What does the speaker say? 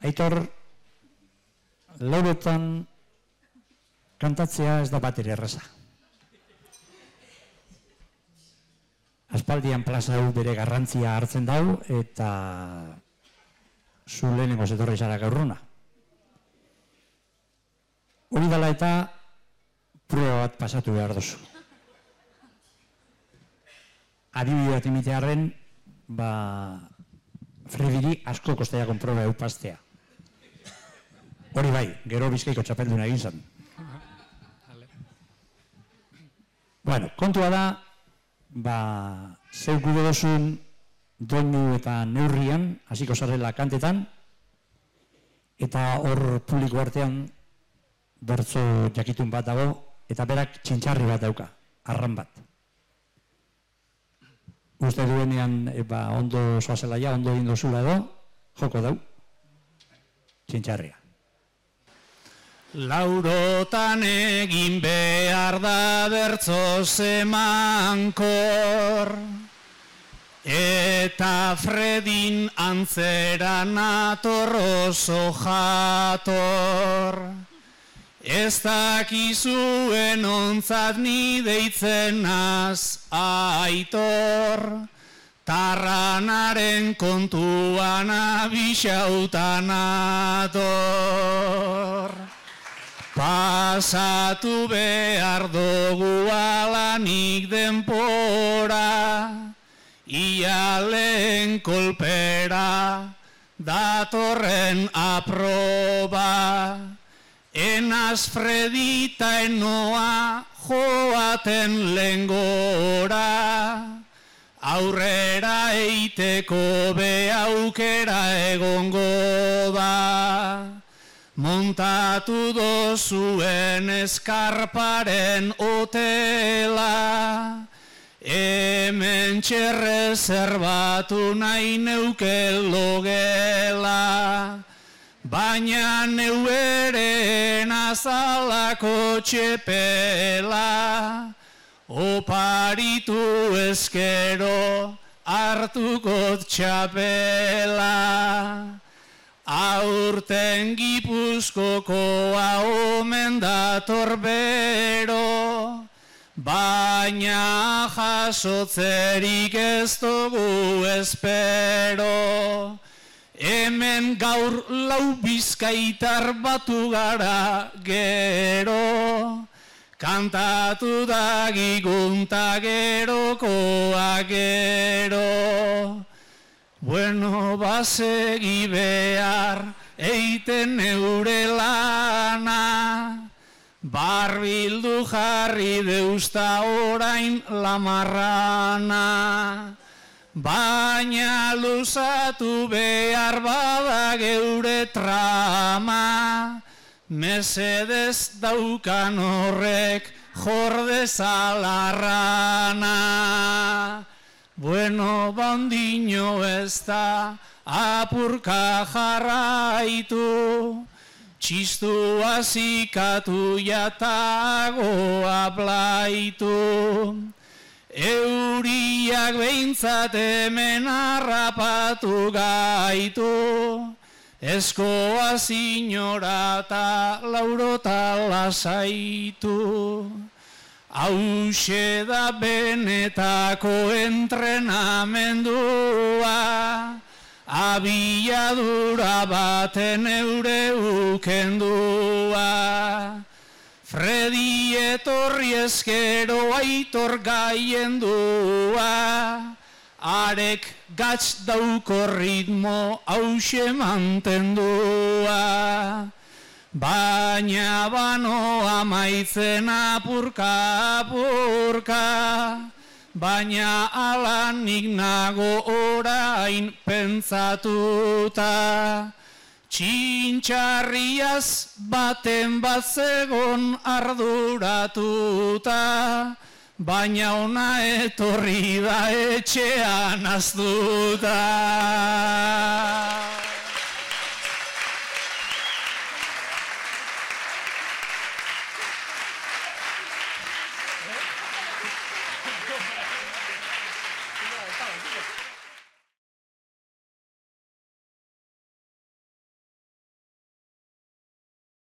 Aitor, lauretan kantatzea ez da bateri erraza. Aspaldian plaza hau bere garrantzia hartzen dau, eta zu lehenengo zetorri zara gaurruna. Hori dela eta prueba bat pasatu behar duzu. Adibide bat imitearen, Frediri asko kostaia konproba eupaztea. Hori bai, gero Bizkaiko txapelduna egin zen. Bueno, kontua da, zeu gude dozun doinu eta neurrian, hasiko zarela kantetan, eta hor publiko artean bertso jakitun bat dago, eta berak txintxarri bat dauka, arran bat. Uste duenean ondo zoazelaia, ondo egin dozula edo, joko dau, txintxarria. Laurotan egin behar da bertso zemankor, eta Fredin antzera nator oso jator. Ez dakizuen ontzat ni deitzen naz Aitor, tarranaren kontuan abixautan ator. Pasatu behar dugu alanik denpora, ia lehen kolpera, datorren aproba. Enaz Fredita enoa joaten lengora, aurrera eiteko be aukera egongo da. Montatu dozuen eskarparen hotela, hemen txerrezerbatu nahi neuke logela. Baina neu ere nazalako txepela, oparitu ezkero hartukot txapela. Aurten Gipuzkokoa omen dator bero, baina jasotzerik ez dugu espero. Hemen gaur lau bizkaitar batu gara gero, kantatu dagigunta gerokoa gero. Bueno, basegi behar eiten neure lana, barbildu jarri deusta orain lamarrana. Baina luzatu behar bada geure trama, mesedez daukan horrek jordezalarrana. Bueno, bandino ez da apurka jarraitu, txistua zikatu jatagoa blaitu. Euriak behintzat hemen harrapatu gaitu, eskoa zinora eta laurota lasaitu. Hauxe da benetako entrenamendua, abiadura baten eure ukendua. Fredi etorri ezkero Aitor gaiendua, arek gatz dauko ritmo hauxe mantendua. Baina bano amaitzen apurka, baina alanik nago orain pentsatuta. Txintxarriaz baten bat zegon arduratuta, baina ona etorri da etxean aztuta.